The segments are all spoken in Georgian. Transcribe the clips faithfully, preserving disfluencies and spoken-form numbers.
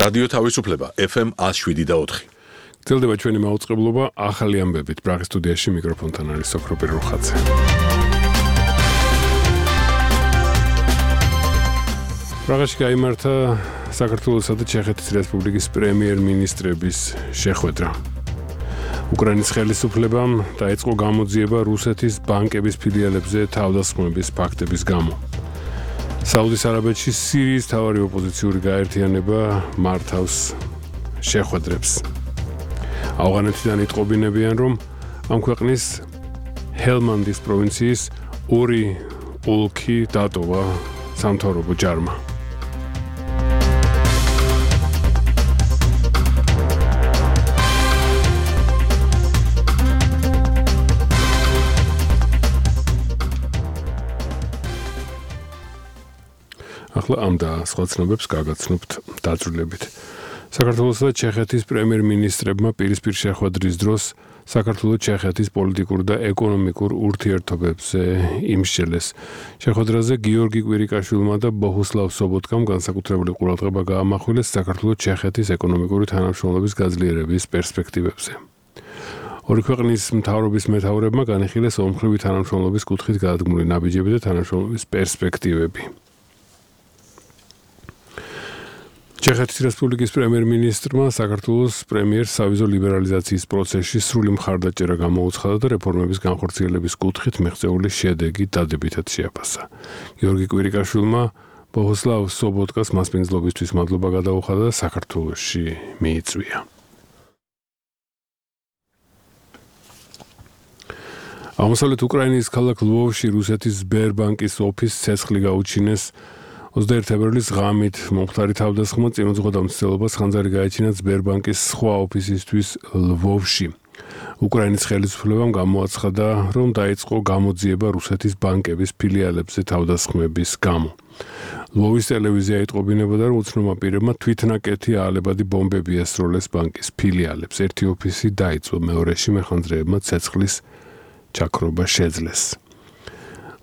რადიო თავისუფლება F M one oh seven და four. გრძელდება ჩვენი მაუწყებლობა ახალი ამბებით. ბრაღის სტუდიაში მიკროფონთან არის სოფრო პირუხაძე. ბრაღაში გაიმართა საქართველოსა და ჩეხეთის რესპუბლიკის პრემიერ-მინისტრების შეხვედრა. უკრაინის ხელისუფლებამ დაიწყო გამოძიება რუსეთის ბანკების ფილიალებზე თავდასხმების ფაქტების გამო. საუდის არაბეთში სირიის მთავარი ოპოზიციური გაერთიანება მართავს შეხვედრებს. ავღანეთიდან იტყობინებიან, რომ ამ ქვეყნის ჰელმანდის პროვინციის ორი ოლქი დატოვა სამთავრობო ჯარმა. ახლა ამ და სხვა ცნობებს გაგაცნობთ დაწვრილებით. საქართველოს და ჩეხეთის პრემიერ-მინისტრებმა პირისპირ შეხვედრის დროს საქართველოს ჩეხეთის პოლიტიკურ და ეკონომიკურ ურთიერთობებზე იმსჯელეს. შეხვედრაზე გიორგი კვირიკაშვილმა და ბოჰუსლავ სობოტკამ განსაკუთრებული ყურადღება გაამახვილეს საქართველოს ჩეხეთის ეკონომიკური თანამშრომლობის გაძლიერების პერსპექტივებზე. ორი ქვეყნის მთავრობის მეთაურებმა განიხილეს ომხრივი თანამშრომლობის კუთხით გადადგმული ნაბიჯები და თანამშრომლობის პერსპექტივები. ჩეხეთის რესპუბლიკის პრემიერ-მინისტრმა საქართველოს პრემიერს სავიზო ლიბერალიზაციის პროცესში სრული მხარდაჭერა გამოუცხადა და რეფორმების განხორციელების კუთხით მიღწეული შედეგი დადებითად შეაფასა. გიორგი კვირიკაშვილმა ბოჰუსლავ სობოტკას მასპინძლობისთვის მადლობა გადაუხადა და საქართველოში მიიწვია. აღმოსავლეთ უკრაინის ქალაქ ლვოვში რუსეთის სბერბანკის ოფისს ცეცხლი გაუჩინეს. ოცდაერთი თებერვლის ღამით მომხდარი თავდასხმა წინ უძღვოდა მცდელობას ხანძარი გაეჩინა სბერბანკის სხვა ოფისისთვის ლვოვში. უკრაინის ხელისუფლებამ გამოაცხადა, რომ დაიწყო გამოძიება რუსეთის ბანკების ფილიალებზე თავდასხმების გამო. ლვოვის ტელევიზია იტყობინებოდა, რომ უცნობმა პირებმა თვითნაკეთი აალებადი ბომბები ესროლეს ბანკის ფილიალებს. ერთი ოფისი დაიწვა, მეორეში მეხანძრეებმა ცეცხლის ჩაქრობა შეძლეს.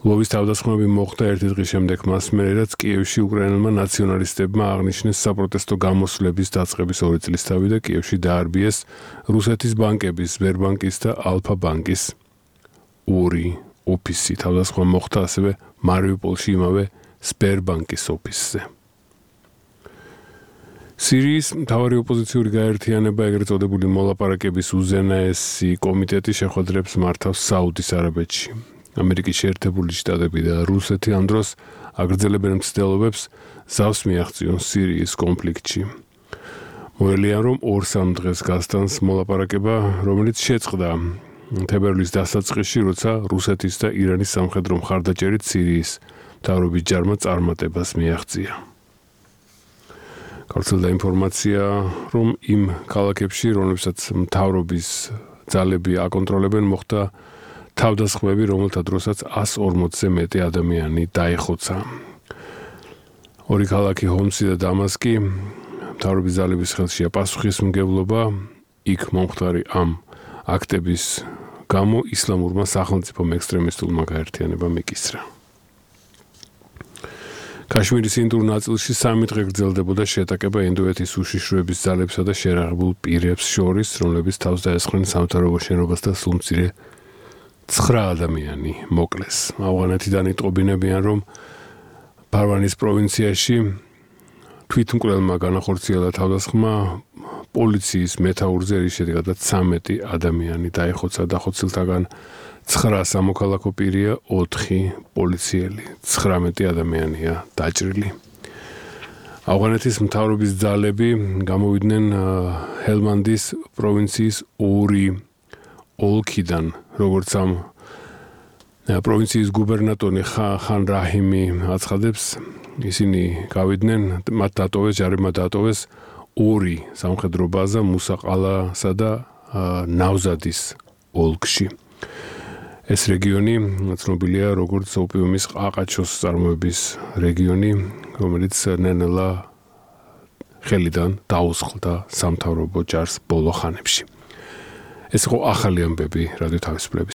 ლვოვის თავდასხმები მოხდა ერთი დღის შემდეგ მას მერე, რაც კიევში უკრაინელმა ნაციონალისტებმა აღნიშნეს საპროტესტო გამოსვლების დაწყების ორი წლისთავი და კიევში დაარბიეს რუსეთის ბანკების, სბერბანკის და ალფა ბანკის ორი ოფისი. თავდასხმა მოხდა ასევე მარიუპოლში იმავე სბერბანკის ოფისზე. სირიის მთავარი ოპოზიციური გაერთიანება, ეგრეთ წოდებული მოლაპარაკების უზენაესი კომიტეტი შეხვედრებს მართავს საუდის არაბეთში. ამერიკის შეერთებული შტატები და რუსეთი ამ დროს აგრძელებენ მცდელობებს ზავს მიაღწიონ სირიის კონფლიქტში. მოელიან, რომ ორ-სამ დღეს გასტანს მოლაპარაკება, რომელიც შეწყდა თებერვლის დასაწყისში, როცა რუსეთის და ირანის სამხედრო მხარდაჭერით სირიის მთავრობის ჯარმა წარმატებას მიაღწია. გავრცელდა ინფორმაცია, რომ იმ ქალაქებში, რომლებსაც მთავრობის ძალები აკონტროლებენ, მოხდა თავდასხმები, რომელთა დროსაც ას ორმოცზე მეტი ადამიანი დაიხოცა. ორი ქალაქი ჰომსი და დამასკი მთავრობის ძალების ხელშია პასუხისმგებლობა, იქ მომხდარი ამ აქტების გამო ისლამურმა სახელმწიფომ ექსტრემისტულმა გაერთიანებამ იკისრა. კაშმირის ინდურ ნაწილში სამი დღე გრძელდებოდა შეტაკება ინდოეთის უშიშროების ძალებსა და შერაღებულ პირებს შორის, რომლებიც თავს დაესხნენ სამთავრობო შენობას და სულ მცირე ცხრა ადამიანი მოკლეს. ავღანეთიდან იტყობინებიან, რომ ფარვანის პროვინციაში თვითმკვლელმა განახორციელა თავდასხმა პოლიციის მეთაურზე, რის შედეგადაც ცამეტი ადამიანი დაიხოცა. დახოცილთაგან ცხრა სამოქალაქო პირია, ოთხი პოლიციელი, ცხრამეტი ადამიანია დაჭრილი. ავღანეთის მთავრობის ძალები გამოვიდნენ ჰელმანდის პროვინციის ორი ოლქიდან, როგორც ამ პროვინციის გუბერნატორი ხან რაჰიმი აცხადებს, ისინი გავიდნენ, მათ დატოვეს, ჯარებმა დატოვეს ორი სამხედრო ბაზა მუსაყალასა და ნავზადის ოლქში. ეს რეგიონი ცნობილია როგორც ოპიუმის ყაყაჩოს წარმოების რეგიონი, რომელიც ნელ-ნელა ხელიდან დაუსხლდა სამთავრობო ჯარს ბოლო ხანებში. ეს იყო ახალი ამბები რადიო თავისუფლების